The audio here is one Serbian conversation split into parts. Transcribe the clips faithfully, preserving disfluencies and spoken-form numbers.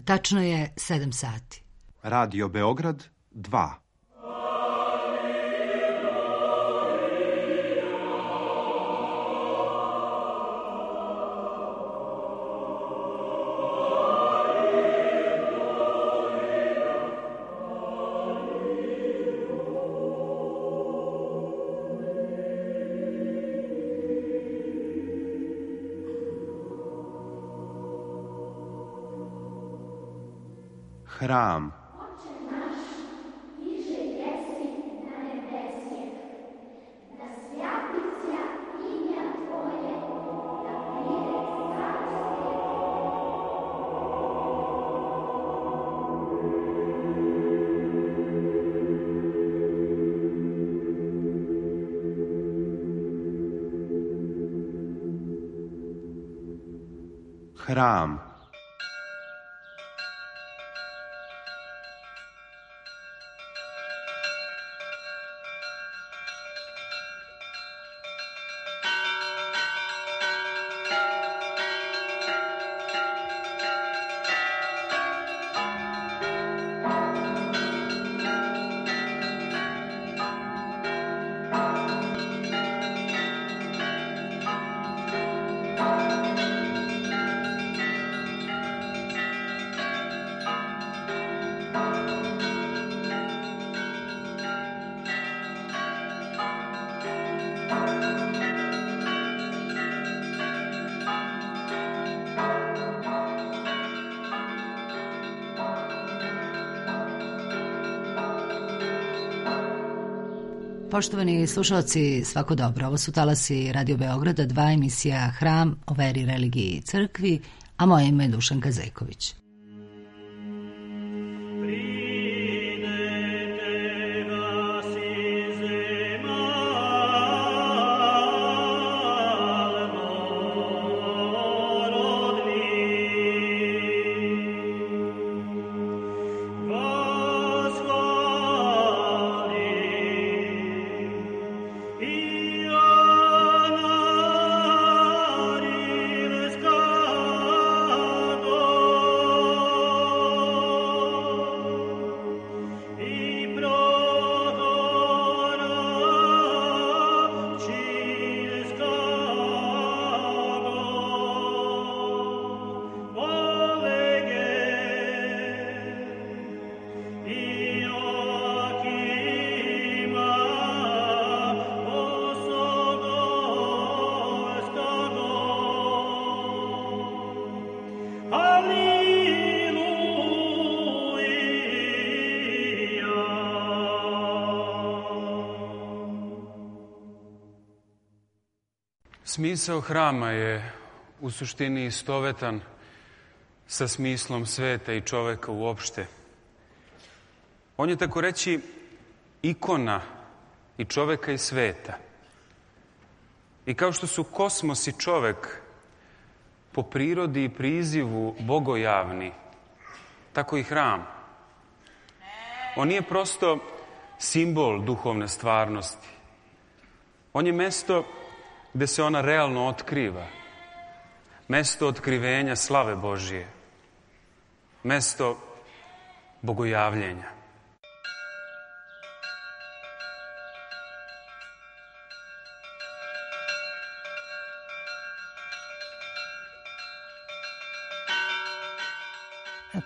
tačno je sedam sati. Radio Beograd dva. Hram. Hram. Poštovani slušalci, svako dobro. Ovo su talasi Radio Beograda, dva, emisija Hram o veri, religiji i crkvi, a moje ime je Dušanka Zeković. Smisao hrama je u suštini istovetan sa smislom sveta i čoveka uopšte. On je, tako reći, ikona i čoveka i sveta. I kao što su kosmos i čovek po prirodi i prizivu bogojavni, tako i hram. On nije prosto simbol duhovne stvarnosti. On je mesto gde se ona realno otkriva. Mesto otkrivenja slave Božije. Mesto bogojavljenja.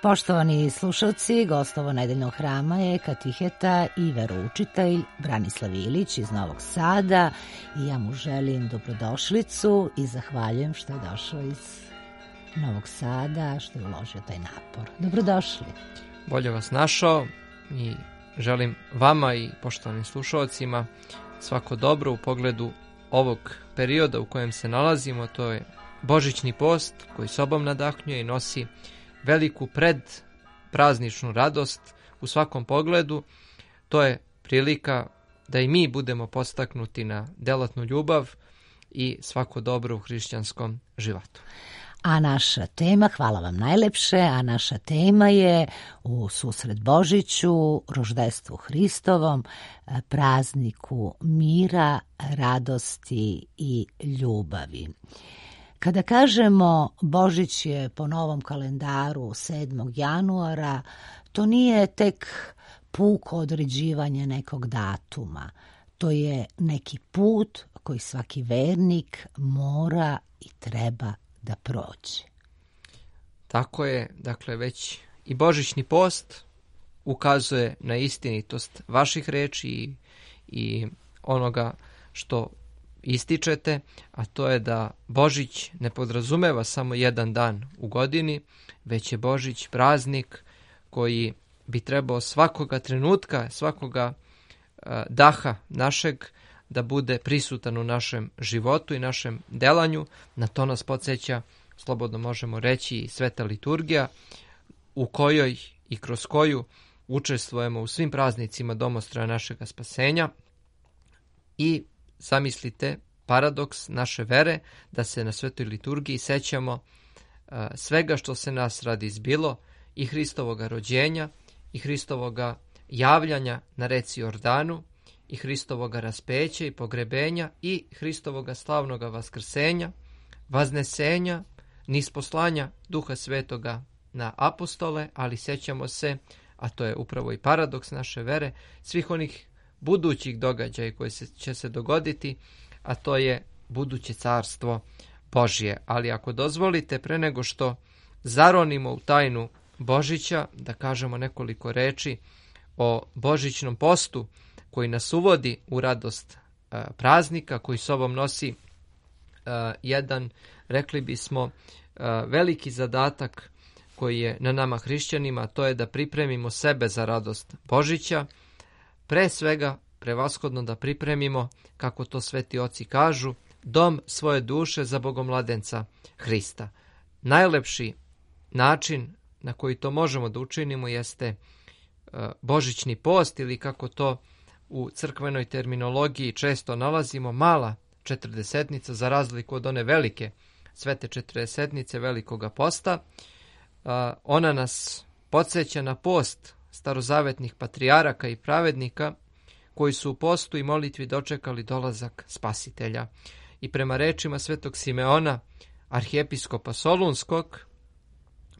Poštovani slušalci, gost ovo nedeljnog hrama je katiheta i veroučitelj Branislav Ilić iz Novog Sada i ja mu želim dobrodošlicu i zahvaljujem što je došao iz Novog Sada, što je uložio taj napor. Dobrodošli. Bolje vas našao i želim vama i poštovanim slušalcima svako dobro u pogledu ovog perioda u kojem se nalazimo. To je Božićni post koji sobom nadahnjuje i nosi veliku predprazničnu radost u svakom pogledu. To je prilika da i mi budemo podstaknuti na delatnu ljubav i svako dobro u hrišćanskom životu. A naša tema, hvala vam najlepše, a naša tema je u susret Božiću, roždestvu Hristovom, prazniku mira, radosti i ljubavi. Kada kažemo Božić je po novom kalendaru sedmog januara, to nije tek puko određivanje nekog datuma. To je neki put koji svaki vernik mora i treba da prođe. Tako je, dakle, već i Božićni post ukazuje na istinitost vaših reči i, i onoga što ističete, a to je da Božić ne podrazumeva samo jedan dan u godini, već je Božić praznik koji bi trebao svakoga trenutka, svakoga uh, daha našeg da bude prisutan u našem životu i našem delanju. Na to nas podsjeća, slobodno možemo reći, i sveta liturgija u kojoj i kroz koju učestvujemo u svim praznicima domostroja našega spasenja. I zamislite paradoks naše vere da se na svetoj liturgiji sećamo uh, svega što se nas radi izbilo, i Hristovoga rođenja, i Hristovoga javljanja na reci Jordanu, i Hristovoga raspeća i pogrebenja, i Hristovoga slavnoga vaskrsenja, vaznesenja, nisposlanja Duha Svetoga na apostole, ali sećamo se, a to je upravo i paradoks naše vere, svih onih budućih događaja koji se, će se dogoditi, a to je buduće carstvo Božje. Ali ako dozvolite, pre nego što zaronimo u tajnu Božića, da kažemo nekoliko reči o Božićnom postu koji nas uvodi u radost a, praznika, koji sobom nosi a, jedan, rekli bismo, a, veliki zadatak koji je na nama hrišćanima, to je da pripremimo sebe za radost Božića, pre svega prevashodno da pripremimo, kako to sveti oci kažu, dom svoje duše za bogomladenca Hrista. Najlepši način na koji to možemo da učinimo jeste uh, Božićni post, ili kako to u crkvenoj terminologiji često nalazimo, mala četrdesetnica, za razliku od one velike svete četrdesetnice velikoga posta. Uh, ona nas podsjeća na post starozavetnih patrijaraka i pravednika koji su u postu i molitvi dočekali dolazak Spasitelja. I prema rečima svetog Simeona, arhijepiskopa Solunskog,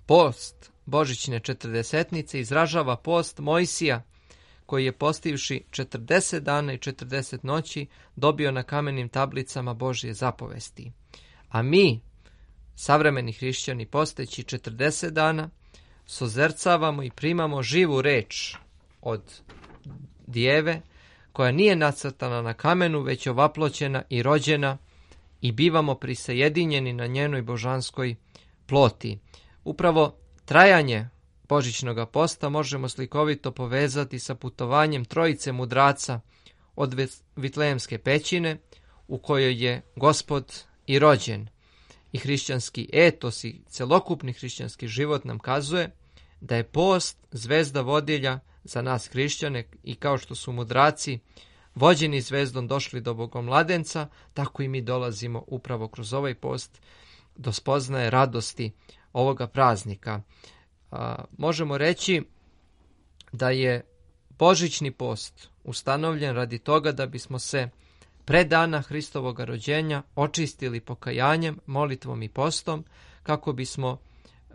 post Božićne četrdesetnice izražava post Mojsija, koji je postivši četrdeset dana i četrdeset noći dobio na kamenim tablicama Božje zapovesti. A mi, savremeni hrišćani, posteći četrdeset dana, sozercavamo i primamo živu reč od Djeve, koja nije nacrtana na kamenu, već ovaploćena i rođena, i bivamo prisajedinjeni na njenoj božanskoj ploti. Upravo trajanje Božićnog posta možemo slikovito povezati sa putovanjem trojice mudraca od Vitlejemske pećine, u kojoj je Gospod i rođen. I hrišćanski etos i celokupni hrišćanski život nam kazuje da je post zvezda vodilja za nas hrišćane, i kao što su mudraci vođeni zvezdom došli do bogomladenca, tako i mi dolazimo upravo kroz ovaj post do spoznaje radosti ovoga praznika. A, možemo reći da je Božićni post ustanovljen radi toga da bismo se pre dana Hristovoga rođenja očistili pokajanjem, molitvom i postom, kako bismo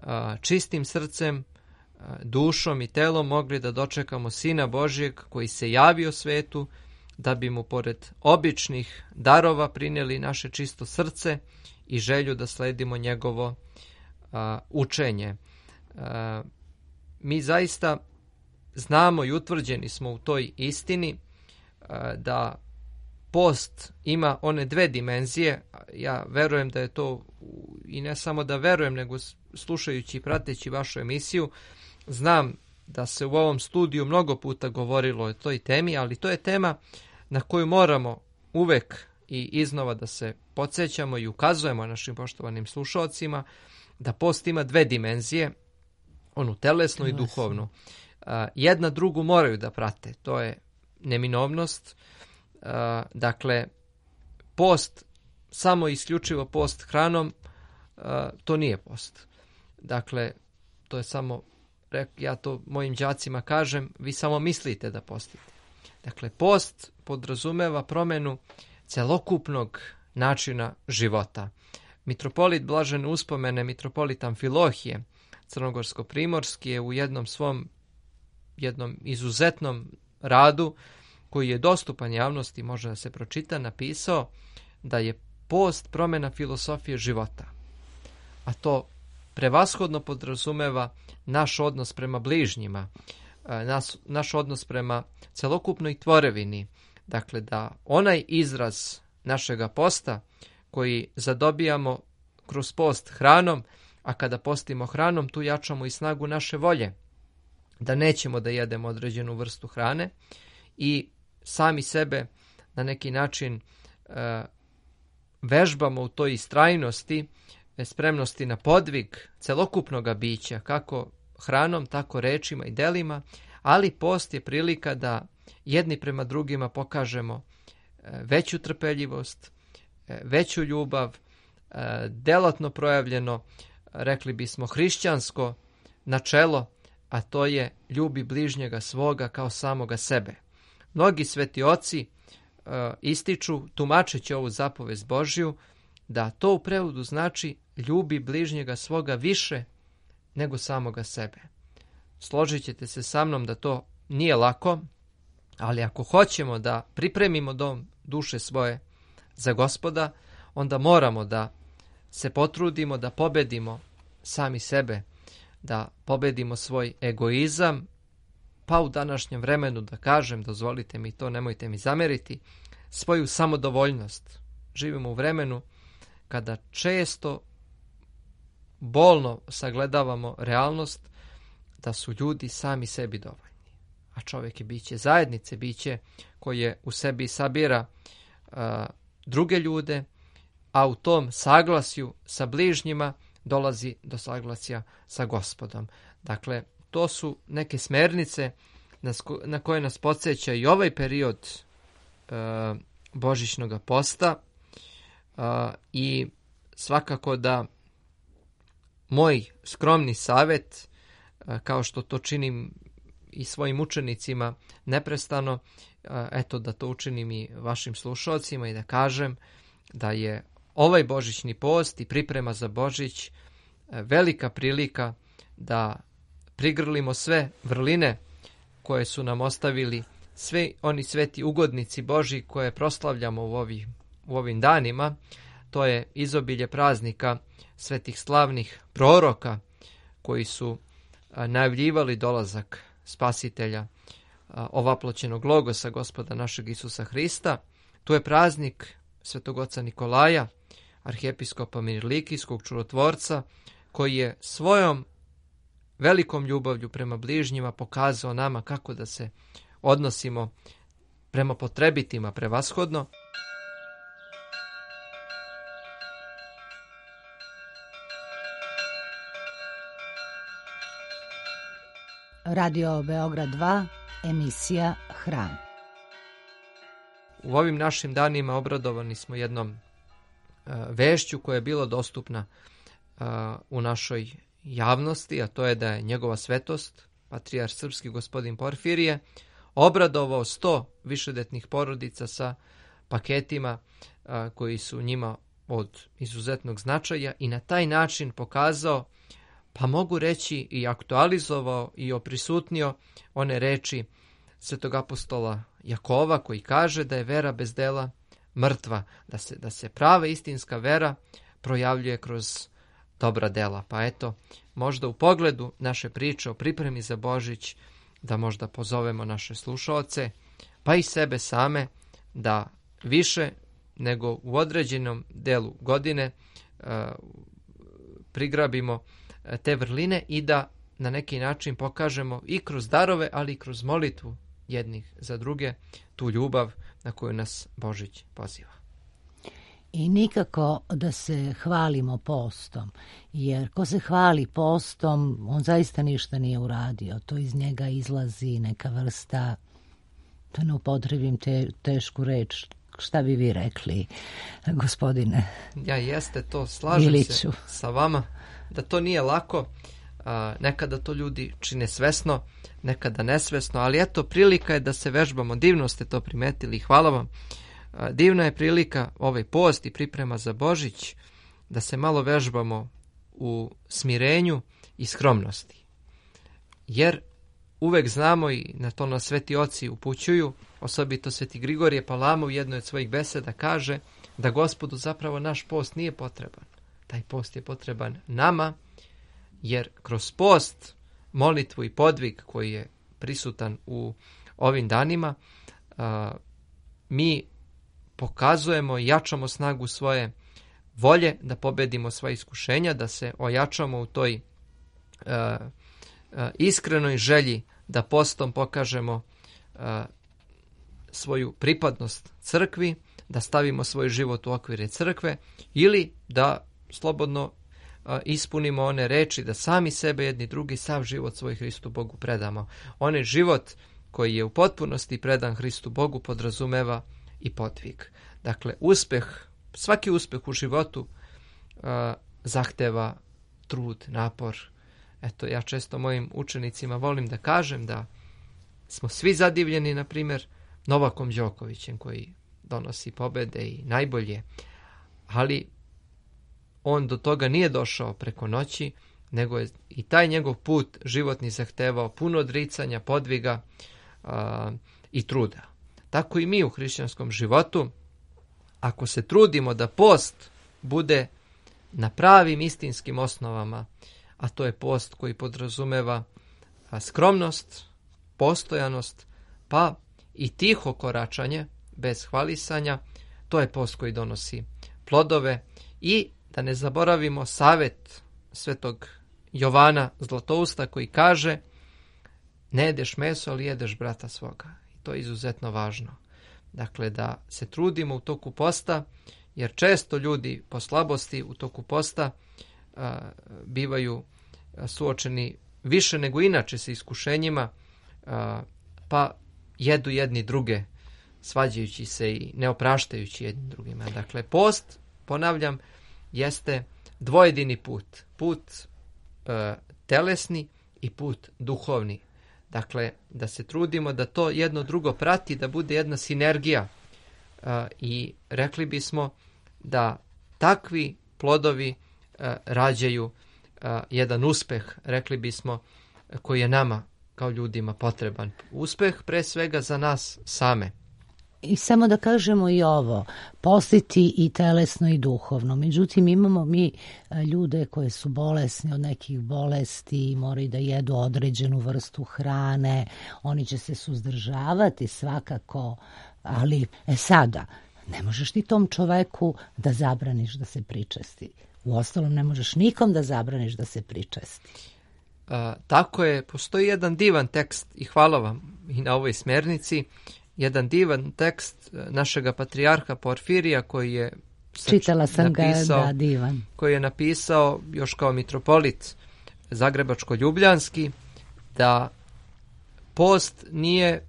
a, čistim srcem, a, dušom i telom mogli da dočekamo Sina Božjeg koji se javio svetu, da bi mu pored običnih darova prineli naše čisto srce i želju da sledimo njegovo a, učenje. A, mi zaista znamo i utvrđeni smo u toj istini a, da post ima one dve dimenzije. Ja verujem da je to, i ne samo da verujem, nego slušajući i prateći vašu emisiju, znam da se u ovom studiju mnogo puta govorilo o toj temi, ali to je tema na koju moramo uvek i iznova da se podsjećamo i ukazujemo našim poštovanim slušalcima, da post ima dve dimenzije, onu telesnu i duhovnu. Jedna drugu moraju da prate, to je neminovnost. Dakle, post, samo isključivo post hranom, to nije post. Dakle, to je samo, ja to mojim đacima kažem, vi samo mislite da postite. Dakle, post podrazumeva promenu celokupnog načina života. Mitropolit blažene uspomene, mitropolit Amfilohije, crnogorsko-primorski, je u jednom svom jednom izuzetnom radu koji je dostupan javnosti, može da se pročita, napisao da je post promjena filosofije života. A to prevashodno podrazumeva naš odnos prema bližnjima, naš, naš odnos prema celokupnoj tvorevini. Dakle, da onaj izraz našega posta koji zadobijamo kroz post hranom, a kada postimo hranom, tu jačamo i snagu naše volje, da nećemo da jedemo određenu vrstu hrane i sami sebe na neki način e, vežbamo u toj istrajnosti, spremnosti na podvig celokupnog bića, kako hranom, tako rečima i delima, ali post je prilika da jedni prema drugima pokažemo veću trpeljivost, veću ljubav, delatno projavljeno, rekli bismo, hrišćansko načelo, a to je ljubi bližnjega svoga kao samoga sebe. Mnogi sveti oci ističu, tumačeći ovu zapovest Božju, da to u prevodu znači ljubi bližnjega svoga više nego samoga sebe. Složit ćete se sa mnom da to nije lako, ali ako hoćemo da pripremimo dom duše svoje za Gospoda, onda moramo da se potrudimo da pobedimo sami sebe, da pobedimo svoj egoizam, pa u današnjem vremenu da kažem, dozvolite mi to, nemojte mi zameriti, svoju samodovoljnost. Živimo u vremenu kada često bolno sagledavamo realnost da su ljudi sami sebi dovoljni. A čovjek je biće zajednice, biće koje u sebi sabira uh, druge ljude, a u tom saglasju sa bližnjima dolazi do saglasja sa Gospodom. Dakle, to su neke smernice na koje nas podsjeća i ovaj period uh, božićnog posta uh, i svakako da moj skromni savjet, uh, kao što to činim i svojim učenicima neprestano, uh, eto da to učinim i vašim slušalcima i da kažem da je ovaj božićni post i priprema za Božić uh, velika prilika da prigrlimo sve vrline koje su nam ostavili svi oni sveti ugodnici Božji koje proslavljamo u, ovi, u ovim danima. To je izobilje praznika svetih slavnih proroka koji su a, najavljivali dolazak Spasitelja, a, ovaploćenog logosa Gospoda našeg Isusa Hrista. Tu je praznik svetog oca Nikolaja, arhijepiskopa Mirlikijskog čudotvorca, koji je svojom velikom ljubavlju prema bližnjima pokazao nama kako da se odnosimo prema potrebitima prevashodno. Radio Beograd dva, emisija Hram. U ovim našim danima obradovani smo jednom uh, vešću koja je bila dostupna uh, u našoj javnosti, a to je da je njegova svetost, patrijarh srpski gospodin Porfirije, obradovao sto višedetnih porodica sa paketima a, koji su njima od izuzetnog značaja i na taj način pokazao, pa mogu reći i aktualizovao i oprisutnio one reči svetog apostola Jakova koji kaže da je vera bez dela mrtva, da se, da se prava istinska vera projavljuje kroz dobra dela. Pa eto, možda u pogledu naše priče o pripremi za Božić, da možda pozovemo naše slušaoce, pa i sebe same, da više nego u određenom delu godine uh, prigrabimo te vrline i da na neki način pokažemo i kroz darove, ali i kroz molitvu jednih za druge tu ljubav na koju nas Božić poziva. I nikako da se hvalimo postom, jer ko se hvali postom, on zaista ništa nije uradio. To iz njega izlazi neka vrsta, da ne upotrebim te, tešku reč, šta bi vi rekli, gospodine? Ja jeste to, slažem Iliću. se sa vama, da to nije lako, a, nekada to ljudi čine svesno, nekada nesvesno, ali eto, prilika je da se vežbamo, divno ste to primetili, hvala vam. Divna je prilika ovaj post i priprema za Božić da se malo vežbamo u smirenju i skromnosti. Jer uvek znamo, i na to nas sveti oci upućuju, osobito sveti Grigorije Palama u jednoj od svojih beseda kaže da Gospodu zapravo naš post nije potreban. Taj post je potreban nama, jer kroz post, molitvu i podvig koji je prisutan u ovim danima, a, mi pokazujemo i jačamo snagu svoje volje da pobedimo sva iskušenja, da se ojačamo u toj a, a, iskrenoj želji da postom pokažemo a, svoju pripadnost crkvi, da stavimo svoj život u okvire crkve ili da slobodno a, ispunimo one reči da sami sebe jedni drugi sav život svoj Hristu Bogu predamo. Onaj život koji je u potpunosti predan Hristu Bogu podrazumeva i podvig. Dakle, uspeh, svaki uspeh u životu a, zahteva trud, napor. Eto, ja često mojim učenicima volim da kažem da smo svi zadivljeni, na primjer, Novakom Đokovićem koji donosi pobede i najbolje, ali on do toga nije došao preko noći, nego je i taj njegov put životni zahtevao puno odricanja, podviga a, i truda. Tako i mi u hrišćanskom životu, ako se trudimo da post bude na pravim istinskim osnovama, a to je post koji podrazumeva skromnost, postojanost, pa i tiho koračanje, bez hvalisanja, to je post koji donosi plodove. I da ne zaboravimo savet svetog Jovana Zlatousta koji kaže ne jedeš meso, ali jedeš brata svoga. I to je izuzetno važno. Dakle, da se trudimo u toku posta, jer često ljudi po slabosti u toku posta a, bivaju suočeni više nego inače sa iskušenjima, a, pa jedu jedni druge, svađajući se i ne opraštajući jedni drugima. Dakle, post, ponavljam, jeste dvojedini put. Put e, telesni i put duhovni. Dakle, da se trudimo da to jedno drugo prati, da bude jedna sinergija. E, I rekli bismo da takvi plodovi e, rađaju e, jedan uspeh, rekli bismo, koji je nama kao ljudima potreban. Uspeh pre svega za nas same. I samo da kažemo i ovo, postiti i telesno i duhovno. Međutim, imamo mi ljude koje su bolesni od nekih bolesti i moraju da jedu određenu vrstu hrane. Oni će se suzdržavati svakako, ali e sada, ne možeš ti tom čoveku da zabraniš da se pričesti. Uostalom, ne možeš nikom da zabraniš da se pričesti. A, tako je, postoji jedan divan tekst i hvala vam i na ovoj smernici, jedan divan tekst našega patrijarha Porfirija koji je čitala sam napisao, ga, da, divan. Koji je napisao još kao mitropolit Zagrebačko-Ljubljanski da post nije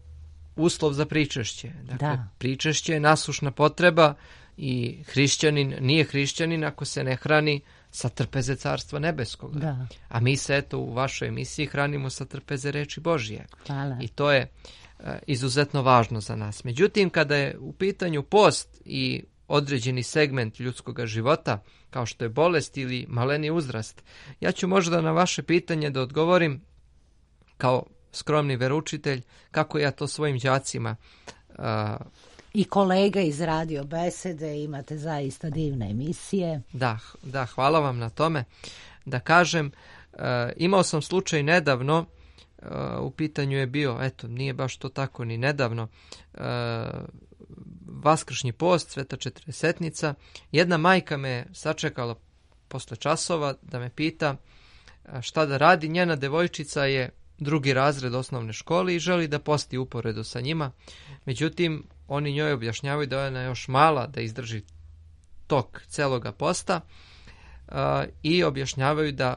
uslov za pričešće. Dakle, da. Pričešće je nasušna potreba i hrišćanin nije hrišćanin ako se ne hrani sa trpeze Carstva Nebeskog. Da. A mi se eto u vašoj emisiji hranimo sa trpeze reči Božije. Hvala. I to je e, izuzetno važno za nas. Međutim, kada je u pitanju post i određeni segment ljudskog života, kao što je bolest ili maleni uzrast, ja ću možda na vaše pitanje da odgovorim kao skromni veroučitelj, kako ja to svojim đacima a, i kolega iz Radio Besede, imate zaista divne emisije. Da, da, hvala vam na tome. Da kažem, e, imao sam slučaj nedavno, e, u pitanju je bio, eto, nije baš to tako ni nedavno, e, Vaskršnji post, Sveta Četrdesetnica. Jedna majka me sačekala posle časova da me pita šta da radi. Njena devojčica je drugi razred osnovne škole i želi da posti uporedo sa njima. Međutim, oni njoj objašnjavaju da je ona još mala da izdrži tok celoga posta uh, i objašnjavaju da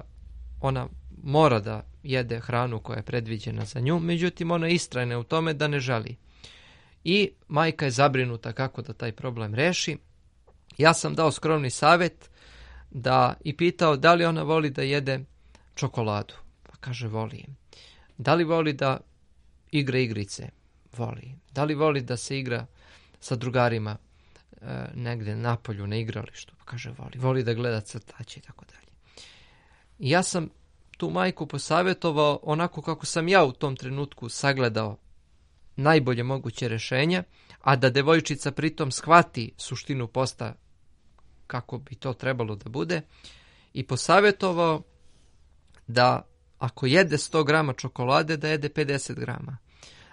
ona mora da jede hranu koja je predviđena za nju, međutim ona istrajne u tome da ne želi. I majka je zabrinuta kako da taj problem reši. Ja sam dao skromni savjet da i pitao da li ona voli da jede čokoladu. Pa kaže voli. Da li voli da igra igrice? Voli. Da li voli da se igra sa drugarima? e, negde napolju na igralištu, pa kaže voli, voli da gleda crtaće i tako dalje. I ja sam tu majku posavjetovao onako kako sam ja u tom trenutku sagledao najbolje moguće rješenje, a da devojčica pritom shvati suštinu posta kako bi to trebalo da bude, i posavjetovao da ako jede sto grama čokolade, da jede pedeset grama.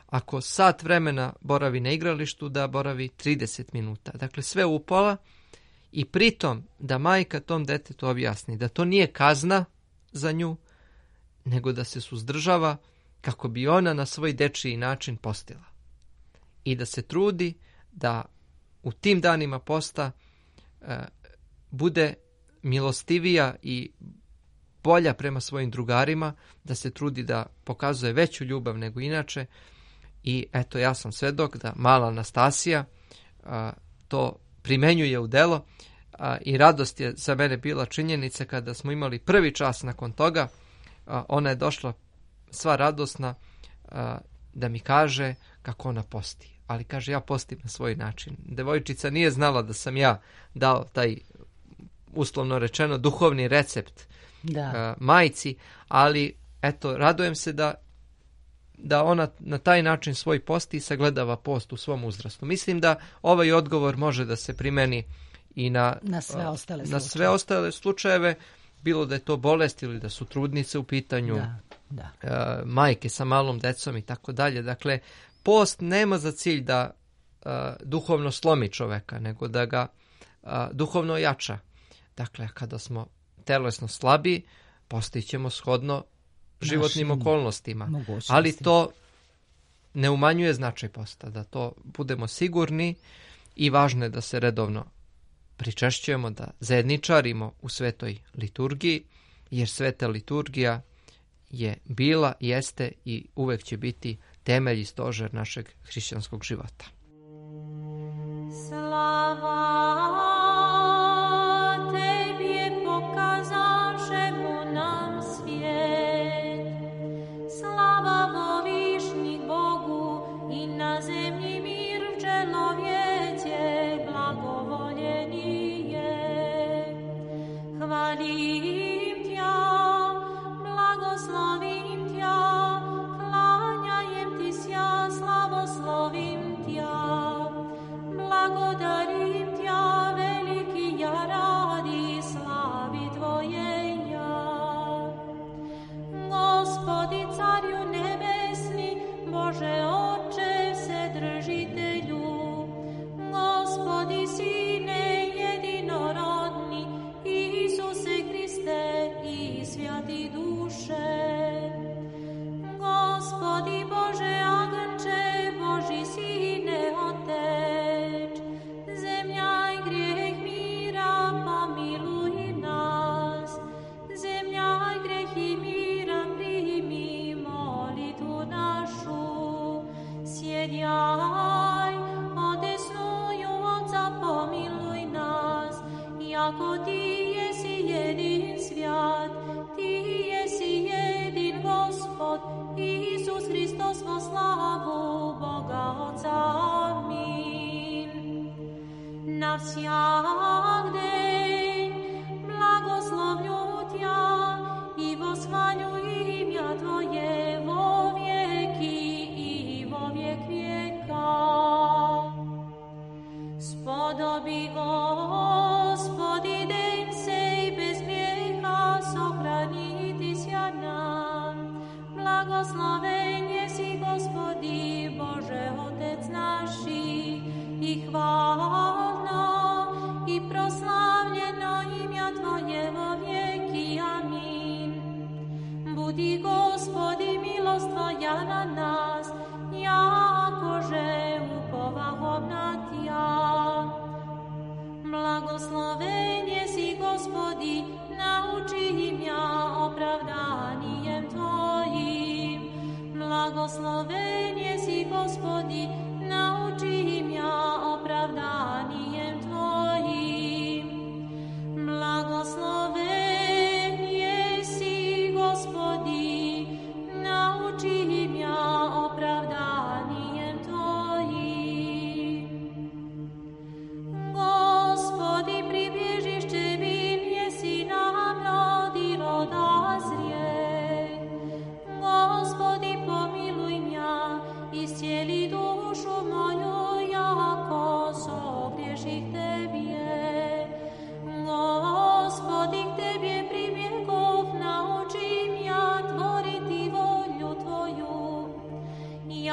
Ako sat vremena boravi na igralištu, da boravi trideset minuta. Dakle, sve upola, i pritom da majka tom detetu objasni da to nije kazna za nju, nego da se suzdržava kako bi ona na svoj dečiji način postila. I da se trudi da u tim danima posta e, bude milostivija i bolja prema svojim drugarima, da se trudi da pokazuje veću ljubav nego inače. I eto, ja sam svedok da mala Anastasija a, to primenjuje u delo, a, i radost je za mene bila činjenica kada smo imali prvi čas nakon toga. A, ona je došla sva radosna a, da mi kaže kako ona posti. Ali kaže, ja postim na svoj način. Devojčica nije znala da sam ja dao taj, uslovno rečeno, duhovni recept da. uh, majci, ali eto, radujem se da, da ona na taj način svoj posti i sagledava post u svom uzrastu. Mislim da ovaj odgovor može da se primeni i na, na, sve, ostale na sve ostale slučajeve, bilo da je to bolest ili da su trudnice u pitanju, da, da. Uh, majke sa malom decom i tako dalje. Dakle, post nema za cilj da uh, duhovno slomi čoveka, nego da ga uh, duhovno jača. Dakle, kada smo telesno slabi, postićemo shodno životnim Našim okolnostima. Ali to ne umanjuje značaj posta, da to budemo sigurni, i važno je da se redovno pričešćujemo, da zajedničarimo u svetoj liturgiji, jer sveta liturgija je bila, jeste i uvek će biti temelj i stožer našeg hrišćanskog života. Slava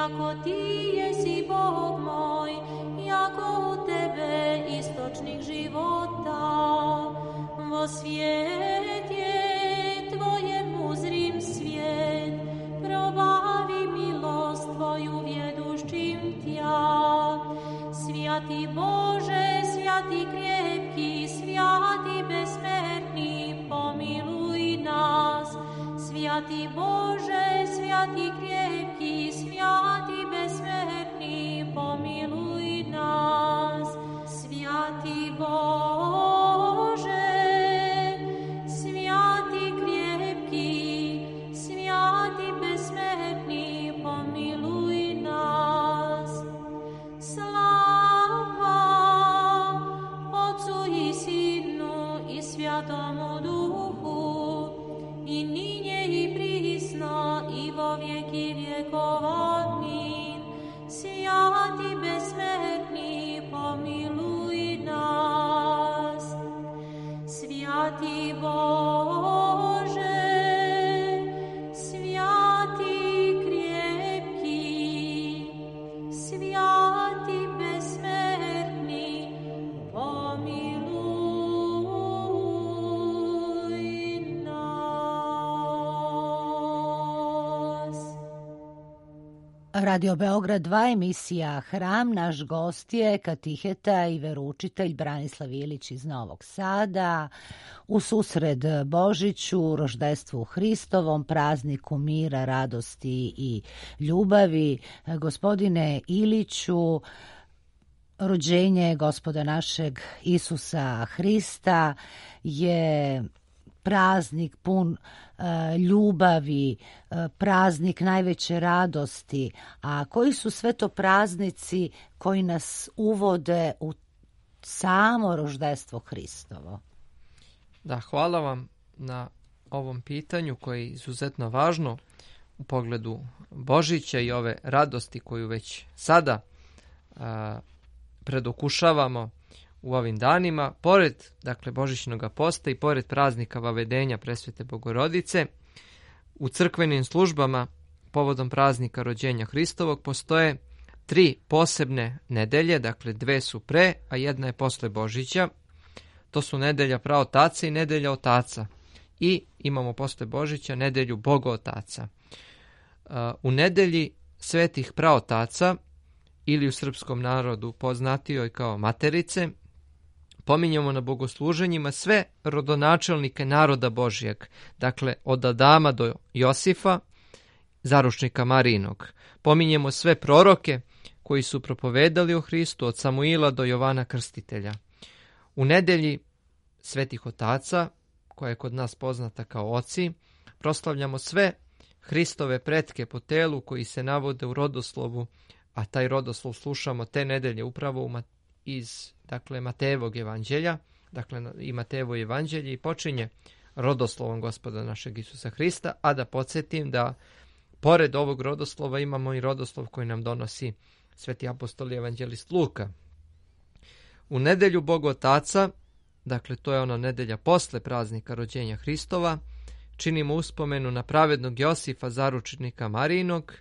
jako ti jesi Bog moj, jako u tebe istočnik života. Vo svijet je tvojem uzrim svijet, probavi milost tvoju vjeduščim tja. Svjati Bože, svjati krepki, svjati besmrtni, pomiluj nas. Svjati Bože, svjati krepki, svjati besmrtni, pomiluj nas. Svjati Bože, svjati krepki, svjati besmrtni, pomiluj nas. Slava Otcu i Sinu i Svjatomu Duhu, i ninje i prisno i vo vjeki vjekov. Amin. Svjati besmrtni, pomiluj nas. Svjati Bože, svjati krepki, svjati besmrtni, pomiluj nas. Radio Beograd dva, emisija Hram. Naš gost je katiheta i veroučitelj Branislav Ilić iz Novog Sada. U susret Božiću, roždestvu Hristovom, prazniku mira, radosti i ljubavi. Gospodine Iliću, rođenje Gospoda našeg Isusa Hrista je praznik pun e, ljubavi, e, praznik najveće radosti. A koji su sve to praznici koji nas uvode u samo roždestvo Hristovo? Da, hvala vam na ovom pitanju koje je izuzetno važno u pogledu Božića i ove radosti koju već sada a, predokušavamo u ovim danima. Pored, dakle, Božićnog posta i pored praznika Vavedenja Presvete Bogorodice, u crkvenim službama povodom praznika rođenja Hristovog postoje tri posebne nedelje, dakle dve su pre, a jedna je posle Božića. To su nedelja Praotaca i nedelja Otaca. I imamo posle Božića nedelju Bogootaca. U nedelji Svetih Praotaca, ili u srpskom narodu poznatijoj kao Materice, pominjemo na bogosluženjima sve rodonačelnike naroda Božijeg, dakle od Adama do Josifa, zaručnika Marijinog. Pominjemo sve proroke koji su propovedali o Hristu, od Samuila do Jovana Krstitelja. U nedelji Svetih Otaca, koja je kod nas poznata kao oci, proslavljamo sve Hristove pretke po telu koji se navode u rodoslovu, a taj rodoslov slušamo te nedelje upravo iz dakle, Matejevog evanđelja, dakle i Matejevo evanđelje, i počinje rodoslovom Gospoda našeg Isusa Hrista, a da podsjetim da pored ovog rodoslova imamo i rodoslov koji nam donosi sveti apostol i evanđelist Luka. U nedelju Bogotaca, dakle to je ona nedelja posle praznika rođenja Hristova, činimo uspomenu na pravednog Josifa, zaručnika Marijinog,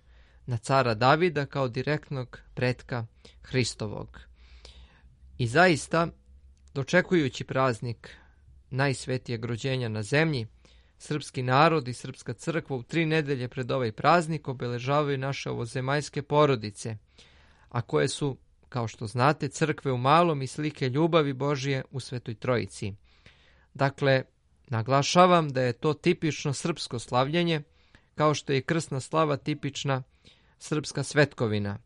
na cara Davida kao direktnog pretka Hristovog. I zaista, dočekujući praznik najsvetijeg rođenja na zemlji, srpski narod i srpska crkva u tri nedelje pred ovaj praznik obeležavaju naše ovozemaljske porodice, a koje su, kao što znate, crkve u malom i slike ljubavi Božije u Svetoj Trojici. Dakle, naglašavam da je to tipično srpsko slavljenje, kao što je krsna slava tipična srpska svetkovina.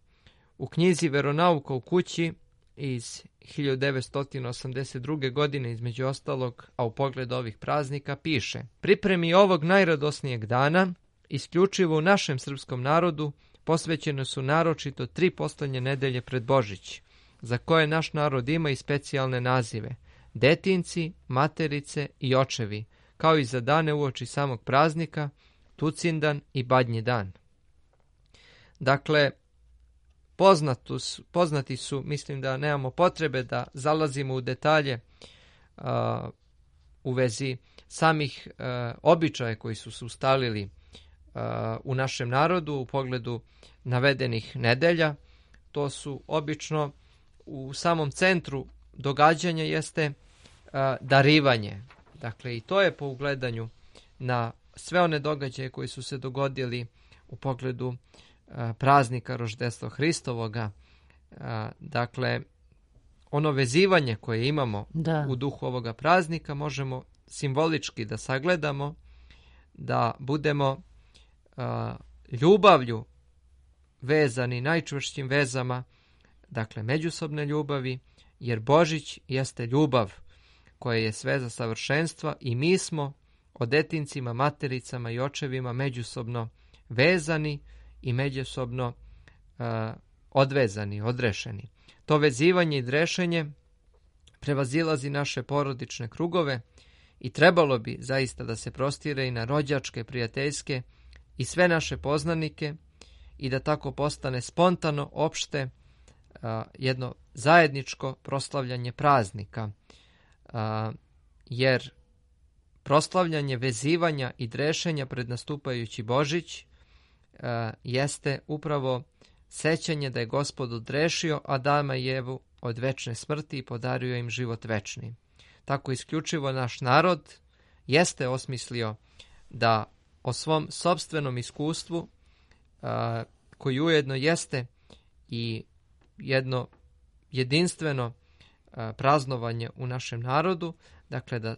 U knjizi Veronauka u kući iz hiljadu devetsto osamdeset druge. godine, između ostalog, a u pogledu ovih praznika piše: pripremi ovog najradosnijeg dana, isključivo u našem srpskom narodu, posvećene su naročito tri poslednje nedelje pred Božić, za koje naš narod ima i specijalne nazive: detinci, materice i očevi, kao i za dane uoči samog praznika, Tucindan i Badnji dan. Dakle, poznatus, poznati su, mislim da nemamo potrebe da zalazimo u detalje uh, u vezi samih uh, običaja koji su se ustalili uh, u našem narodu u pogledu navedenih nedelja. To su obično u samom centru događanja jeste a, darivanje. Dakle, i to je po ugledanju na sve one događaje koji su se dogodili u pogledu a, praznika Roždestva Hristovoga. A, dakle, ono vezivanje koje imamo Da. u duhu ovoga praznika možemo simbolički da sagledamo, da budemo a, ljubavlju vezani najčvršćim vezama, dakle međusobne ljubavi, jer Božić jeste ljubav koja je sveza savršenstva i mi smo o detincima, matericama i očevima međusobno vezani i međusobno uh, odvezani, odrešeni. To vezivanje i drešenje prevazilazi naše porodične krugove i trebalo bi zaista da se prostire i na rođačke, prijateljske i sve naše poznanike i da tako postane spontano, opšte, a, jedno zajedničko proslavljanje praznika. A, jer proslavljanje vezivanja i drešenja pred nastupajući Božić a, jeste upravo sećanje da je Gospod odrešio Adama i Evu od večne smrti i podario im život večni. Tako isključivo naš narod jeste osmislio da o svom sopstvenom iskustvu, a, koji ujedno jeste i jedno jedinstveno a, praznovanje u našem narodu, dakle da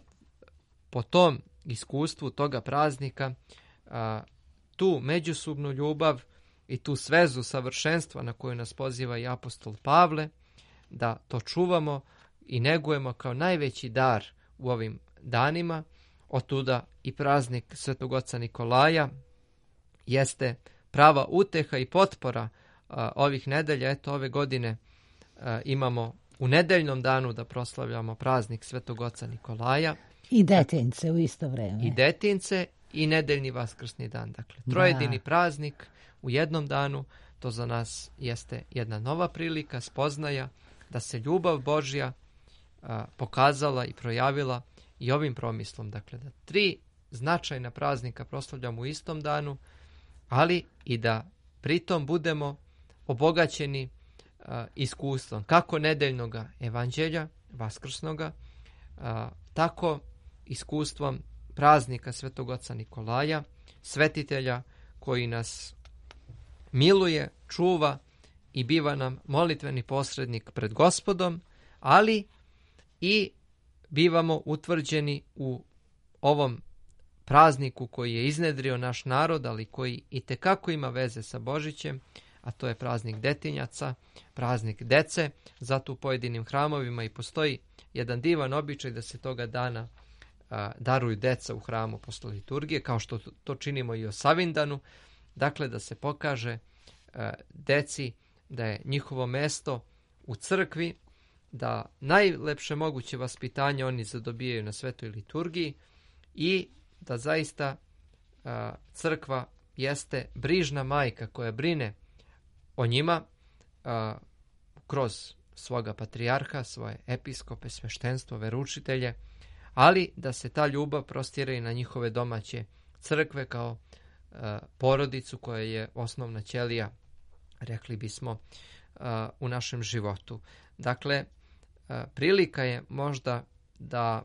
po tom iskustvu toga praznika a, tu međusobnu ljubav i tu svezu savršenstva na koju nas poziva i apostol Pavle, da to čuvamo i negujemo kao najveći dar u ovim danima. Otuda i praznik Svetog Oca Nikolaja jeste prava uteha i potpora a, ovih nedelja. Eto, ove godine a, imamo u nedeljnom danu da proslavljamo praznik Svetog Oca Nikolaja. I detince u isto vreme. I detince i nedeljni vaskrsni dan. Dakle, trojedini Da. praznik u jednom danu, to za nas jeste jedna nova prilika, spoznaja da se ljubav Božja a, pokazala i projavila i ovim promislom. Dakle, da tri značajna praznika proslavljamo u istom danu, ali i da pritom budemo obogaćeni a, iskustvom kako nedeljnog evanđelja, vaskrsnoga, a, tako iskustvom praznika Svetog Oca Nikolaja, svetitelja koji nas miluje, čuva i biva nam molitveni posrednik pred Gospodom, ali i bivamo utvrđeni u ovom prazniku koji je iznedrio naš narod, ali koji itekako ima veze sa Božićem, a to je praznik detinjaca, praznik dece. Zato u pojedinim hramovima i postoji jedan divan običaj da se toga dana a, daruju deca u hramu posle liturgije, kao što to činimo i o Savindanu. Dakle, da se pokaže a, deci da je njihovo mesto u crkvi, da najlepše moguće vaspitanje oni zadobijaju na svetoj liturgiji i da zaista a, crkva jeste brižna majka koja brine o njima a, kroz svoga patrijarha, svoje episkope, sveštenstvo, veroučitelje, ali da se ta ljubav prostire i na njihove domaće crkve kao a, porodicu koja je osnovna ćelija, rekli bismo, a, u našem životu. Dakle, a, prilika je možda da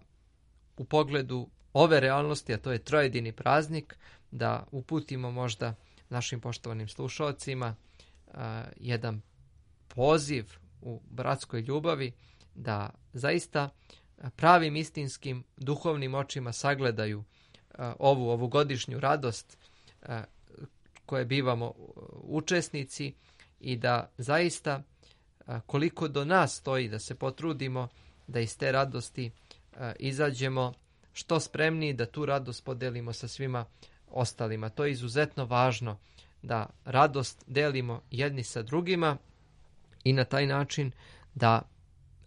u pogledu ove realnosti, a to je trojedini praznik, da uputimo možda našim poštovanim slušalcima a, jedan poziv u bratskoj ljubavi da zaista pravim istinskim duhovnim očima sagledaju a, ovu ovogodišnju radost a, koje bivamo učesnici i da zaista a, koliko do nas stoji da se potrudimo da iz te radosti a, izađemo što spremniji, da tu radost podelimo sa svima ostalima. To je izuzetno važno da radost delimo jedni sa drugima i na taj način da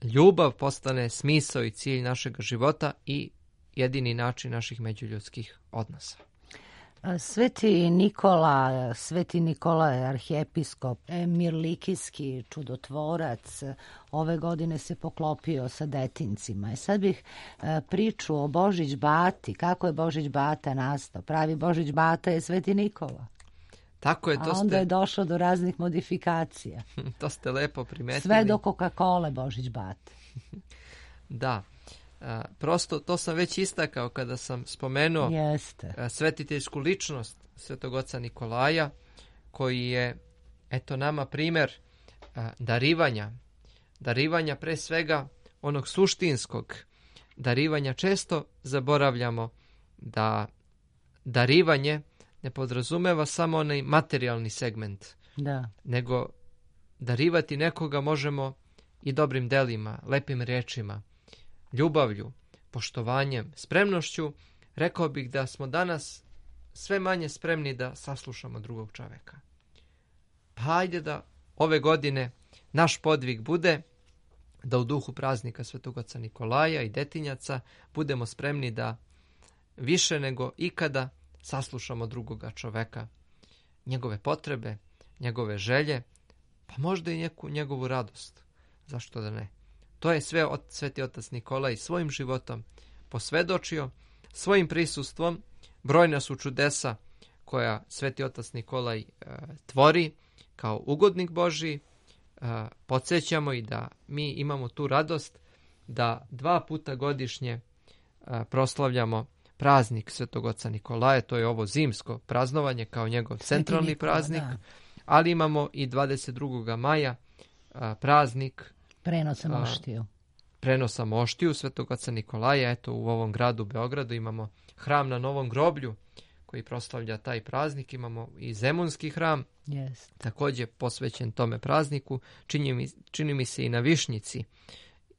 ljubav postane smisao i cilj našeg života i jedini način naših međuljudskih odnosa. Sveti Nikola, Sveti Nikola je arhijepiskop, mirlikijski čudotvorac, ove godine se poklopio sa detincima. I sad bih e, priču o Božić Bati, kako je Božić Bata nastao. Pravi Božić Bata je Sveti Nikola. Tako je, to A onda ste, je došlo do raznih modifikacija. to ste lepo primetili. Sve do Coca-Cola Božić Bate. Da. A, prosto to sam već istakao kada sam spomenuo Jeste. a, svetiteljsku ličnost Svetog oca Nikolaja, koji je, eto, nama primjer a, darivanja. Darivanja pre svega onog suštinskog. Darivanja često zaboravljamo da darivanje ne podrazumeva samo onaj materijalni segment, Da. nego darivati nekoga možemo i dobrim delima, lepim rečima, ljubavlju, poštovanjem, spremnošću. Rekao bih da smo danas sve manje spremni da saslušamo drugog čoveka. Pa hajde da ove godine naš podvig bude da u duhu praznika Svetog oca Nikolaja i detinjaca budemo spremni da više nego ikada saslušamo drugoga čoveka, njegove potrebe, njegove želje, pa možda i neku njegovu radost. Zašto da ne? To je sve od Sveti otac Nikolaj svojim životom posvedočio, svojim prisustvom. Brojna su čudesa koja Sveti otac Nikolaj e, tvori kao ugodnik Božiji. E, podsjećamo i da mi imamo tu radost da dva puta godišnje e, proslavljamo praznik Svetog oca Nikolaja. To je ovo zimsko praznovanje kao njegov centralni Nikola, praznik, da. ali imamo i dvadeset drugog maja a, praznik Prenosa A, moštiju. prenosa moštiju Svetog oca Nikolaja. Eto, u ovom gradu Beogradu imamo hram na Novom groblju koji proslavlja taj praznik. Imamo i Zemunski hram, Jeste. također posvećen tome prazniku. Čini mi, čini mi se i na Višnjici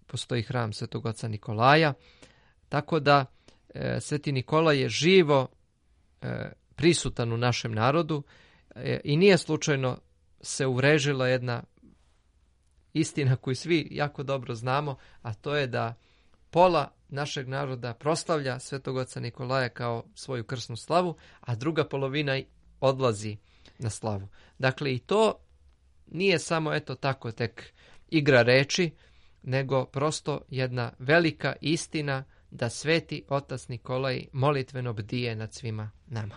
postoji hram Svetog oca Nikolaja. Tako da e, Sveti Nikola je živo e, prisutan u našem narodu e, i nije slučajno se uvrežila jedna istina koju svi jako dobro znamo, a to je da pola našeg naroda proslavlja Svetog oca Nikolaja kao svoju krsnu slavu, a druga polovina odlazi na slavu. Dakle, i to nije samo eto tako tek igra reči, nego prosto jedna velika istina da Sveti otac Nikolaj molitveno bdije nad svima nama.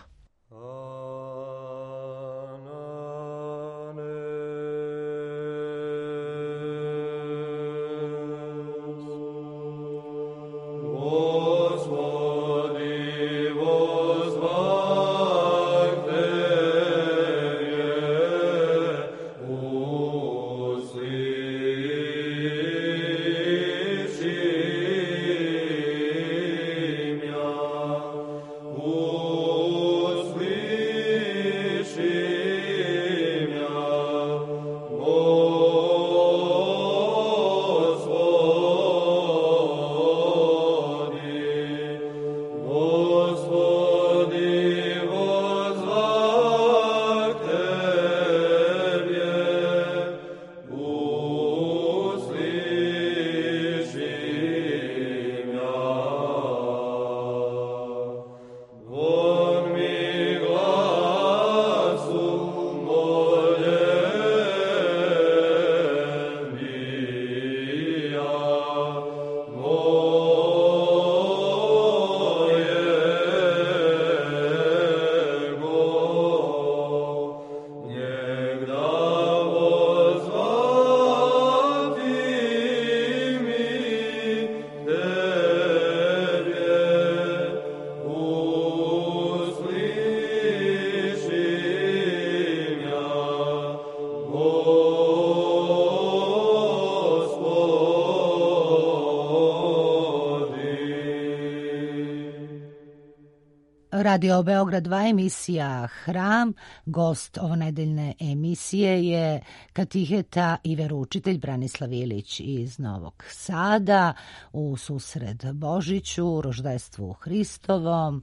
Radio Beograd dva emisija Hram. Gost ovonedeljne emisije je katiheta i veroučitelj Branislav Ilić iz Novog Sada u susret Božiću, roždestvu Hristovom.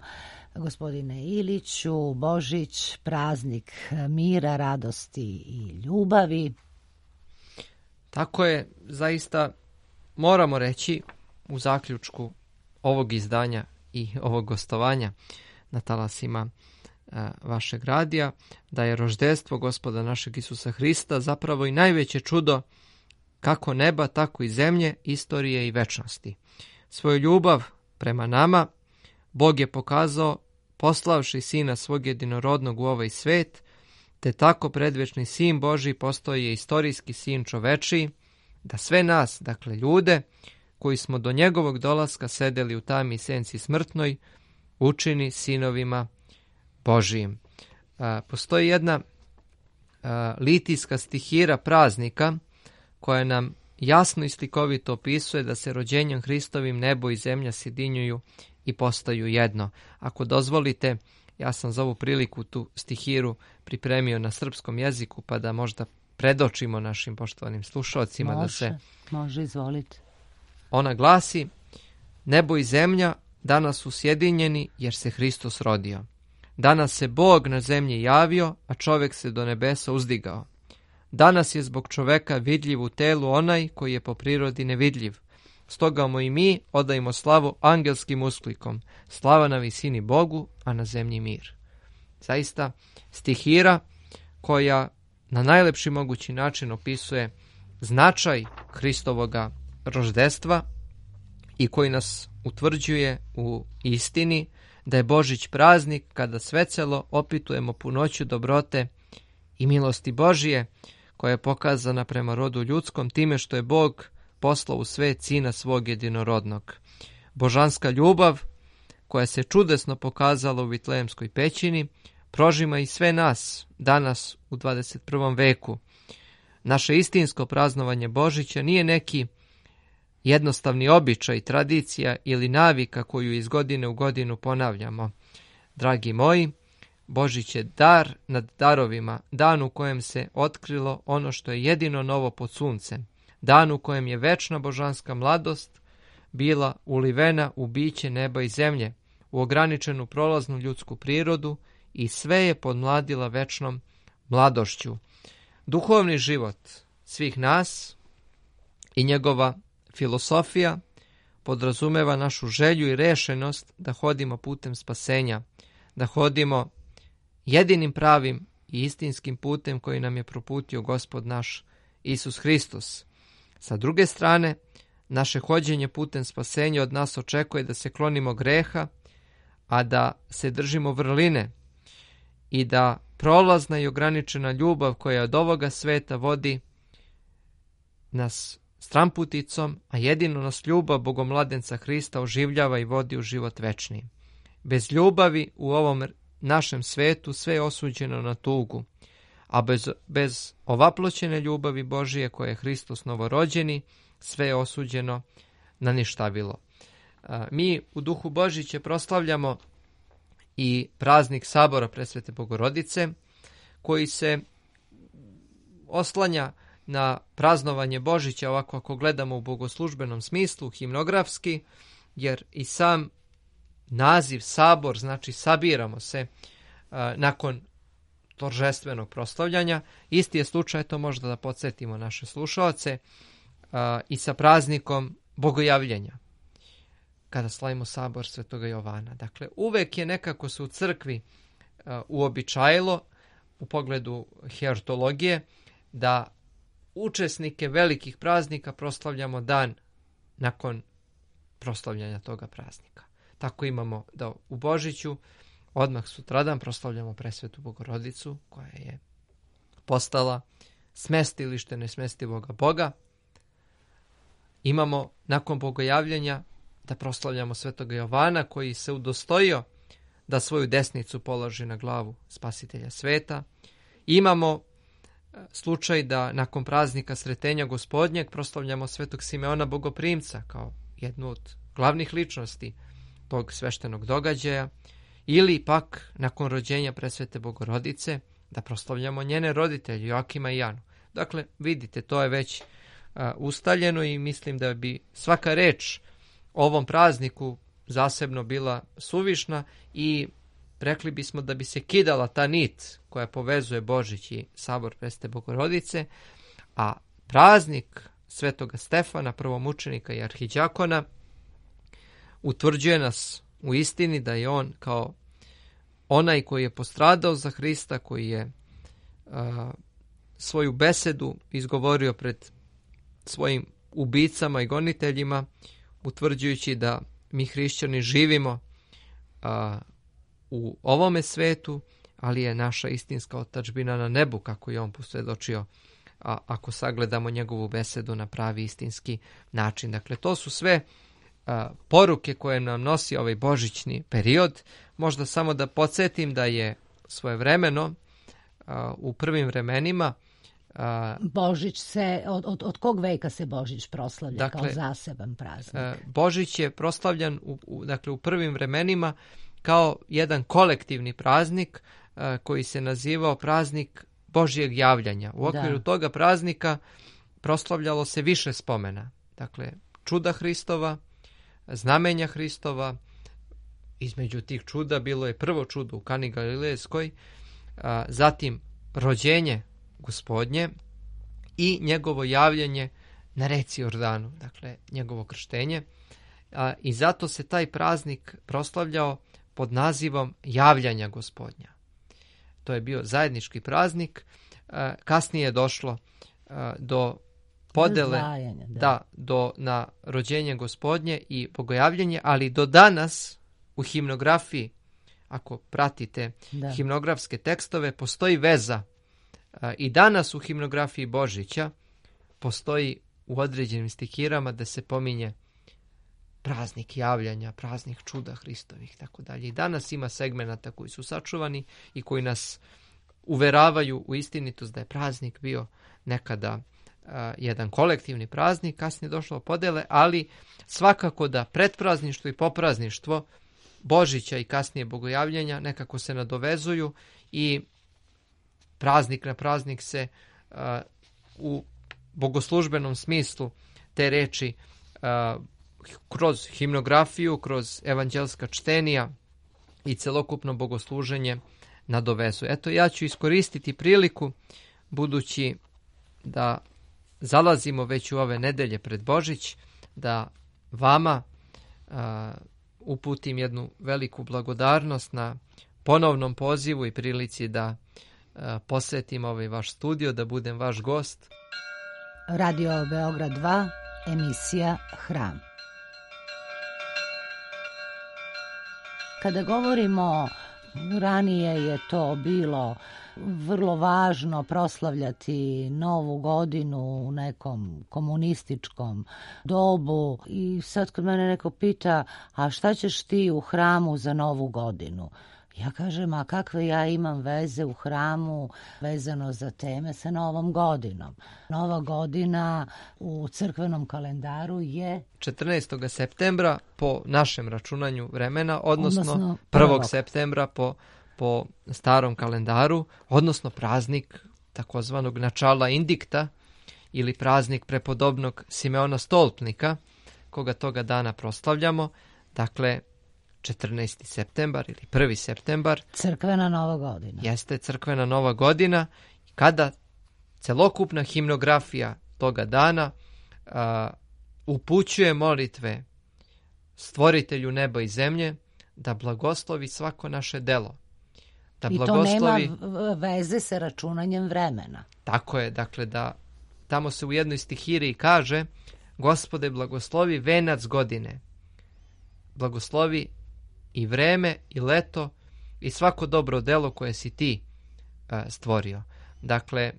Gospodine Iliću, Božić, praznik mira, radosti i ljubavi. Tako je, zaista moramo reći u zaključku ovog izdanja i ovog gostovanja na talasima a, vašeg radija, da je roždestvo Gospoda našeg Isusa Hrista zapravo i najveće čudo kako neba, tako i zemlje, istorije i večnosti. Svoju ljubav prema nama Bog je pokazao poslavši Sina svog jedinorodnog u ovaj svet, te tako predvečni Sin Božji postao je istorijski Sin čovečiji, da sve nas, dakle ljude, koji smo do njegovog dolaska sedeli u tami i senci smrtnoj, učini sinovima Božijim. A, postoji jedna a, litijska stihira praznika koja nam jasno i slikovito opisuje da se rođenjem Hristovim nebo i zemlja sjedinjuju i postaju jedno. Ako dozvolite, ja sam za ovu priliku tu stihiru pripremio na srpskom jeziku, pa da možda predočimo našim poštovanim slušalcima. Može, da se... može, izvolite. Ona glasi: nebo i zemlja danas su sjedinjeni jer se Hristos rodio. Danas se Bog na zemlji javio, a čovjek se do nebesa uzdigao. Danas je zbog čoveka vidljiv u telu onaj koji je po prirodi nevidljiv. Stoga mu i mi odajmo slavu angelskim usklikom. Slava na visini Bogu, a na zemlji mir. Zaista stihira koja na najlepši mogući način opisuje značaj Hristovoga roždestva i koji nas utvrđuje u istini da je Božić praznik kada svecelo opitujemo punoću dobrote i milosti Božije koja je pokazana prema rodu ljudskom time što je Bog poslao u svet Sina svog jedinorodnog. Božanska ljubav koja se čudesno pokazala u Vitlejemskoj pećini prožima i sve nas danas u dvadeset prvom veku. Naše istinsko praznovanje Božića nije neki jednostavni običaj, tradicija ili navika koju iz godine u godinu ponavljamo. Dragi moji, Božić je dar nad darovima, dan u kojem se otkrilo ono što je jedino novo pod suncem, dan u kojem je večna božanska mladost bila ulivena u biće neba i zemlje, u ograničenu prolaznu ljudsku prirodu i sve je podmladila večnom mladošću. Duhovni život svih nas i njegova filosofija podrazumeva našu želju i rešenost da hodimo putem spasenja, da hodimo jedinim pravim i istinskim putem koji nam je proputio Gospod naš Isus Hristos. Sa druge strane, naše hođenje putem spasenja od nas očekuje da se klonimo greha, a da se držimo vrline i da prolazna i ograničena ljubav koja od ovoga sveta vodi nas stramputicom, a jedino nas ljubav Bogomladenca Hrista oživljava i vodi u život večni. Bez ljubavi u ovom našem svetu sve je osuđeno na tugu, a bez, bez ovaploćene ljubavi Božije koje je Hristos novorođeni, sve je osuđeno na ništavilo. Mi u duhu Božića proslavljamo i praznik Sabora Presvete Bogorodice, koji se oslanja na praznovanje Božića, ovako ako gledamo u bogoslužbenom smislu, himnografski, jer i sam naziv Sabor znači sabiramo se a, nakon toržestvenog proslavljanja. Isti je slučaj, to možda da podsjetimo naše slušaoce, a, i sa praznikom Bogojavljenja, kada slavimo Sabor Svetoga Jovana. Dakle, uvek je nekako se u crkvi a, uobičajilo u pogledu hierotologije da učesnike velikih praznika proslavljamo dan nakon proslavljanja toga praznika. Tako imamo da u Božiću odmah sutradan proslavljamo Presvetu Bogorodicu koja je postala smestilište nesmestivoga Boga. Imamo nakon Bogojavljenja da proslavljamo Svetoga Jovana koji se udostojio da svoju desnicu položi na glavu Spasitelja sveta. Imamo slučaj da nakon praznika Sretenja Gospodnjeg proslavljamo Svetog Simeona Bogoprimca kao jednu od glavnih ličnosti tog sveštenog događaja, ili pak nakon rođenja Presvete Bogorodice da proslavljamo njene roditelje Joakima i Janu. Dakle, vidite, to je već a, ustaljeno i mislim da bi svaka reč o ovom prazniku zasebno bila suvišna i rekli bismo da bi se kidala ta nit koja povezuje Božić i Sabor Presvete Bogorodice, a praznik Svetoga Stefana, prvomučenika i arhiđakona, utvrđuje nas u istini da je on kao onaj koji je postradao za Hrista, koji je a, svoju besedu izgovorio pred svojim ubicama i goniteljima, utvrđujući da mi hrišćani živimo a, u ovome svetu, ali je naša istinska otadžbina na nebu, kako je on posvjedočio, a, ako sagledamo njegovu besedu na pravi istinski način. Dakle, to su sve a, poruke koje nam nosi ovaj božićni period. Možda samo da podsjetim da je svojevremeno a, u prvim vremenima a, Božić se, od, od, od kog veka se Božić proslavlja Dakle, kao zaseban praznik? a, Božić je proslavljan u, u, dakle, u prvim vremenima kao jedan kolektivni praznik a, koji se nazivao praznik Božjeg javljanja. U okviru Da. toga praznika proslavljalo se više spomena. Dakle, čuda Hristova, znamenja Hristova. Između tih čuda bilo je prvo čudo u Kani Galilejskoj, a, zatim rođenje Gospodnje i njegovo javljanje na reci Jordanu, dakle njegovo krštenje. A, I zato se taj praznik proslavljao pod nazivom javljanja Gospodnja. To je bio zajednički praznik. A, kasnije je došlo a, do podele Razdvajanja, da. da, do, na rođenje Gospodnje i bogojavljenje, ali do danas u himnografiji, ako pratite Da. himnografske tekstove, postoji veza. A, I danas u himnografiji Božića postoji u određenim stihirama da se pominje praznik javljanja, praznik čuda Hristovih, tako dalje. I danas ima segmenata koji su sačuvani i koji nas uveravaju u istinitost da je praznik bio nekada a, jedan kolektivni praznik, kasnije došlo podele, ali svakako da pretprazništvo i poprazništvo Božića i kasnije bogojavljenja nekako se nadovezuju i praznik na praznik se a, u bogoslužbenom smislu te reči a, kroz himnografiju, kroz evanđelska čtenija i celokupno bogosluženje nadovezuje. Eto, ja ću iskoristiti priliku, budući da zalazimo već u ove nedelje pred Božić, da vama a, uputim jednu veliku blagodarnost na ponovnom pozivu i prilici da a, posetim ovaj vaš studio, da budem vaš gost. Radio Beograd dva, emisija Hram. Kada govorimo, ranije je to bilo vrlo važno proslavljati Novu godinu u nekom komunističkom dobu i sad kad mene neko pita, a šta ćeš ti u hramu za Novu godinu? Ja kažem, a kakve ja imam veze u hramu vezano za teme sa Novom godinom? Nova godina u crkvenom kalendaru je četrnaestog septembra po našem računanju vremena, odnosno, Odnosno prvog prvog. septembra po, po starom kalendaru, odnosno praznik takozvanog načala indikta ili praznik prepodobnog Simeona Stolpnika, koga toga dana proslavljamo. Dakle, četrnaesti septembar ili prvi septembar crkvena Nova godina. jeste crkvena Nova godina, kada celokupna himnografija toga dana a, upućuje molitve Stvoritelju neba i zemlje da blagoslovi svako naše delo. Da I to blagoslovi, nema v- veze sa računanjem vremena. tako je, dakle da tamo se u jednoj stihiri kaže: Gospode, blagoslovi venac godine, blagoslovi i vreme i leto i svako dobro delo koje si ti a, stvorio. Dakle,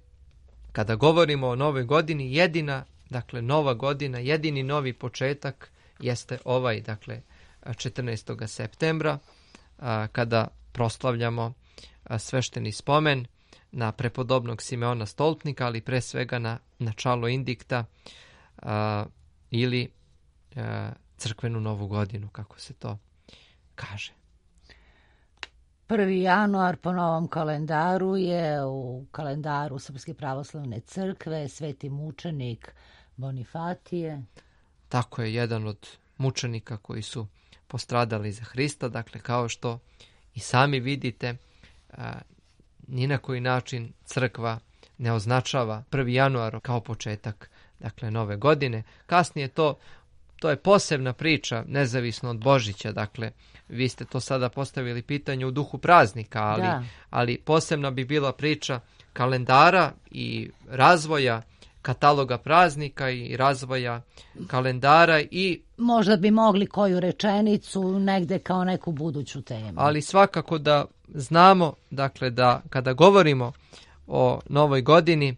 kada govorimo o novoj godini, jedina, dakle, nova godina, jedini novi početak jeste ovaj, dakle, četrnaestog septembra, a, kada proslavljamo a, svešteni spomen na prepodobnog Simeona Stolpnika, ali pre svega na načalo indikta a, ili a, crkvenu Novu godinu, kako se to kaže. prvi januar po novom kalendaru je u kalendaru Srpske pravoslavne crkve sveti mučenik Bonifatije. Tako je, jedan od mučenika koji su postradali za Hrista. Dakle, kao što i sami vidite, a, ni na koji način crkva ne označava prvi januar kao početak, dakle, nove godine. Kasnije to to je posebna priča, nezavisno od Božića. Dakle, vi ste to sada postavili pitanje u duhu praznika, ali, Da. ali posebna bi bila priča kalendara i razvoja kataloga praznika i razvoja kalendara i Možda bi mogli koju rečenicu negde kao neku buduću temu. ali svakako da znamo, dakle, da kada govorimo o novoj godini e,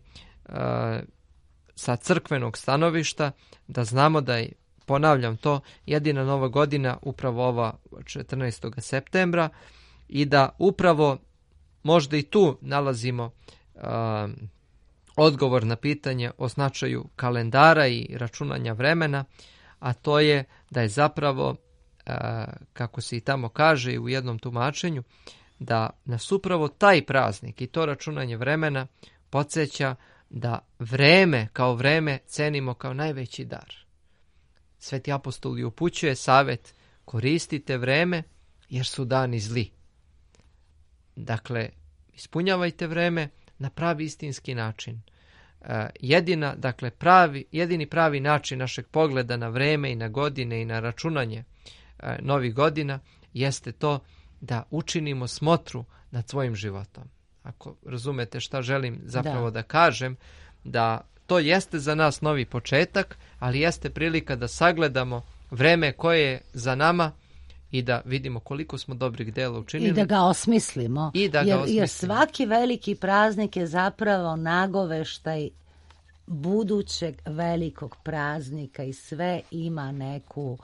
sa crkvenog stanovišta, da znamo da je, ponavljam to, jedina nova godina upravo ova četrnaestog septembra i da upravo možda i tu nalazimo e, odgovor na pitanje o značaju kalendara i računanja vremena, a to je da je zapravo, e, kako se i tamo kaže u jednom tumačenju, da nas upravo taj praznik i to računanje vremena podsjeća da vreme kao vreme cenimo kao najveći dar. Sveti apostol i upućuje savjet: koristite vreme jer su dani zli. Dakle, ispunjavajte vreme na pravi istinski način. E, jedina, dakle, pravi, jedini pravi način našeg pogleda na vreme i na godine i na računanje e, novih godina jeste to da učinimo smotru nad svojim životom. Ako razumete šta želim zapravo da, da kažem, da to jeste za nas novi početak, ali jeste prilika da sagledamo vreme koje je za nama i da vidimo koliko smo dobrih dela učinili. I da ga osmislimo. I da ga jer, osmislimo. jer svaki veliki praznik je zapravo nagoveštaj budućeg velikog praznika i sve ima neku,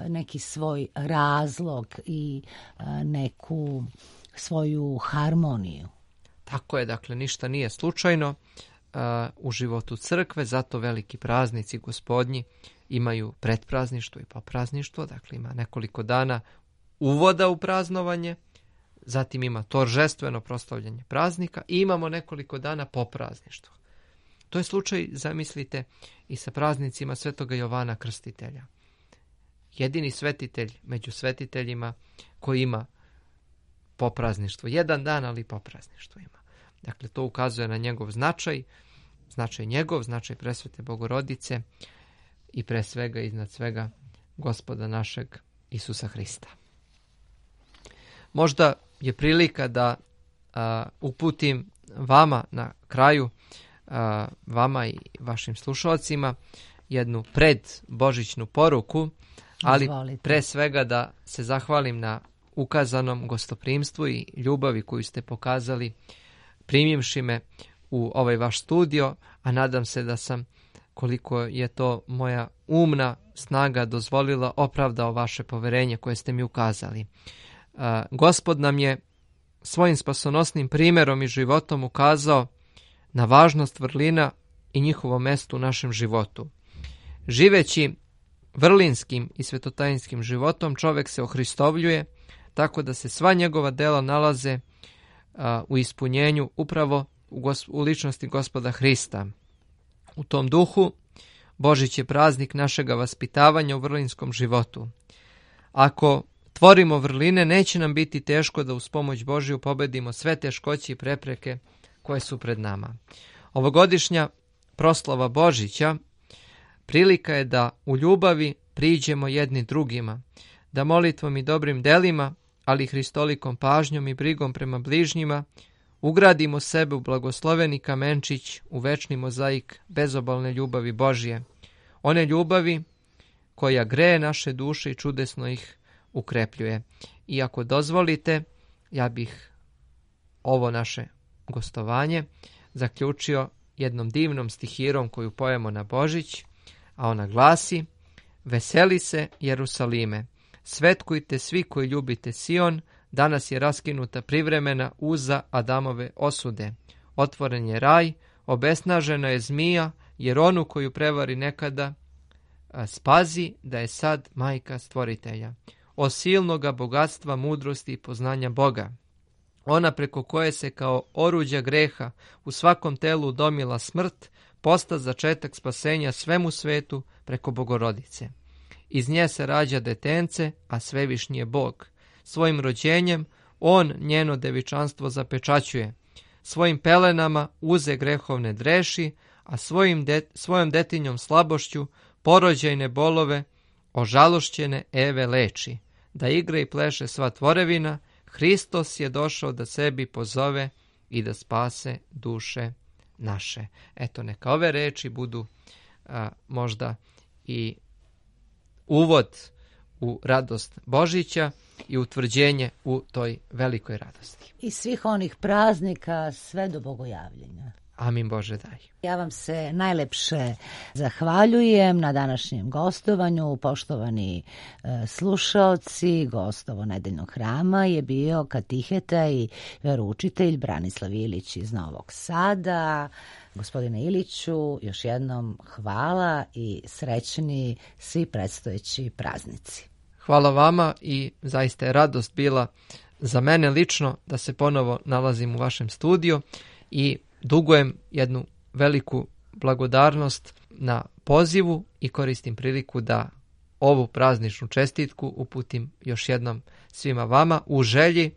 neki svoj razlog i neku svoju harmoniju. Tako je, dakle, ništa nije slučajno uh, u životu crkve, zato veliki praznici gospodnji imaju predprazništvo i poprazništvo, dakle ima nekoliko dana uvoda u praznovanje, zatim ima toržestveno proslavljanje praznika i imamo nekoliko dana poprazništva. To je slučaj, zamislite, i sa praznicima Svetoga Jovana Krstitelja. Jedini svetitelj među svetiteljima koji ima poprazništvo. Jedan dan, ali poprazništvo ima. Dakle, to ukazuje na njegov značaj, značaj njegov, značaj presvete Bogorodice i pre svega, iznad svega, Gospoda našeg Isusa Hrista. Možda je prilika da a, uputim vama na kraju, a, vama i vašim slušalcima, jednu predbožićnu poruku, ali Izvolite. Pre svega da se zahvalim na ukazanom gostoprimstvu i ljubavi koju ste pokazali primivši me u ovaj vaš studio, a nadam se da sam, koliko je to moja umna snaga dozvolila, opravdao vaše poverenje koje ste mi ukazali. Uh, Gospod nam je svojim spasonosnim primjerom i životom ukazao na važnost vrlina i njihovo mesto u našem životu. Živeći vrlinskim i svetotajinskim životom, čovjek se ohristovljuje, tako da se sva njegova dela nalaze a, u ispunjenju upravo u, gos, u ličnosti Gospoda Hrista. U tom duhu, Božić je praznik našega vaspitavanja u vrlinskom životu. Ako tvorimo vrline, neće nam biti teško da uz pomoć Božiju pobedimo sve teškoće i prepreke koje su pred nama. Ovogodišnja proslava Božića prilika je da u ljubavi priđemo jedni drugima, da molitvom i dobrim delima, ali hristolikom pažnjom i brigom prema bližnjima, ugradimo sebe u blagosloveni kamenčić, u večni mozaik bezobalne ljubavi Božje. One ljubavi koja greje naše duše i čudesno ih ukrepljuje. I ako dozvolite, ja bih ovo naše gostovanje zaključio jednom divnom stihirom koju pojemo na Božić, a ona glasi: veseli se Jerusalime, svetkujte svi koji ljubite Sion, danas je raskinuta privremena uza Adamove osude. Otvoren je raj, obesnažena je zmija, jer onu koju prevari nekada spazi da je sad majka stvoritelja. O silnoga bogatstva, mudrosti i poznanja Boga. Ona preko koje se kao oruđa greha u svakom telu udomila smrt, posta začetak spasenja svemu svetu preko Bogorodice. Iz nje se rađa detence, a svevišnji je Bog. Svojim rođenjem on njeno devičanstvo zapečaćuje. Svojim pelenama uze grehovne dreši, a svojim de, svojom detinjom slabošću porođajne bolove, ožalošćene Eve leči, da igra i pleše sva tvorevina, Hristos je došao da sebi pozove i da spase duše naše. Eto, neka ove reči budu a, možda i uvod u radost Božića i utvrđenje u toj velikoj radosti. I svih onih praznika sve do bogojavljenja. Amin Bože daj. Ja vam se najlepše zahvaljujem na današnjem gostovanju. Poštovani e, slušaoci, gostovo nedeljnog hrama je bio katiheta i veroučitelj Branislav Ilić iz Novog Sada. Gospodine Iliću, još jednom hvala i srećni svi predstojeći praznici. Hvala vama i zaista je radost bila za mene lično da se ponovo nalazim u vašem studiju i dugujem jednu veliku blagodarnost na pozivu i koristim priliku da ovu prazničnu čestitku uputim još jednom svima vama u želji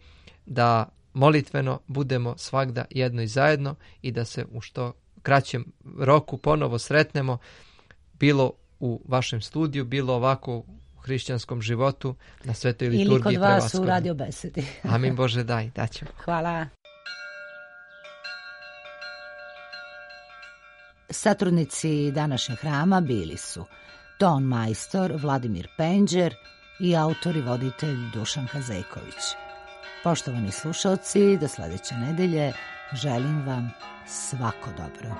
da molitveno budemo svagda jedno i zajedno i da se u što kraćem roku ponovo sretnemo, bilo u vašem studiju, bilo ovako u hrišćanskom životu na svetoj liturgiji. Ili kod vas u radio besedi. Amin Bože daj, daćemo. Hvala. Satrudnici današnjeg hrama bili su ton majstor Vladimir Penđer i autor i voditelj Dušan Kazejković. Poštovani slušalci, do sledeće nedelje želim vam svako dobro.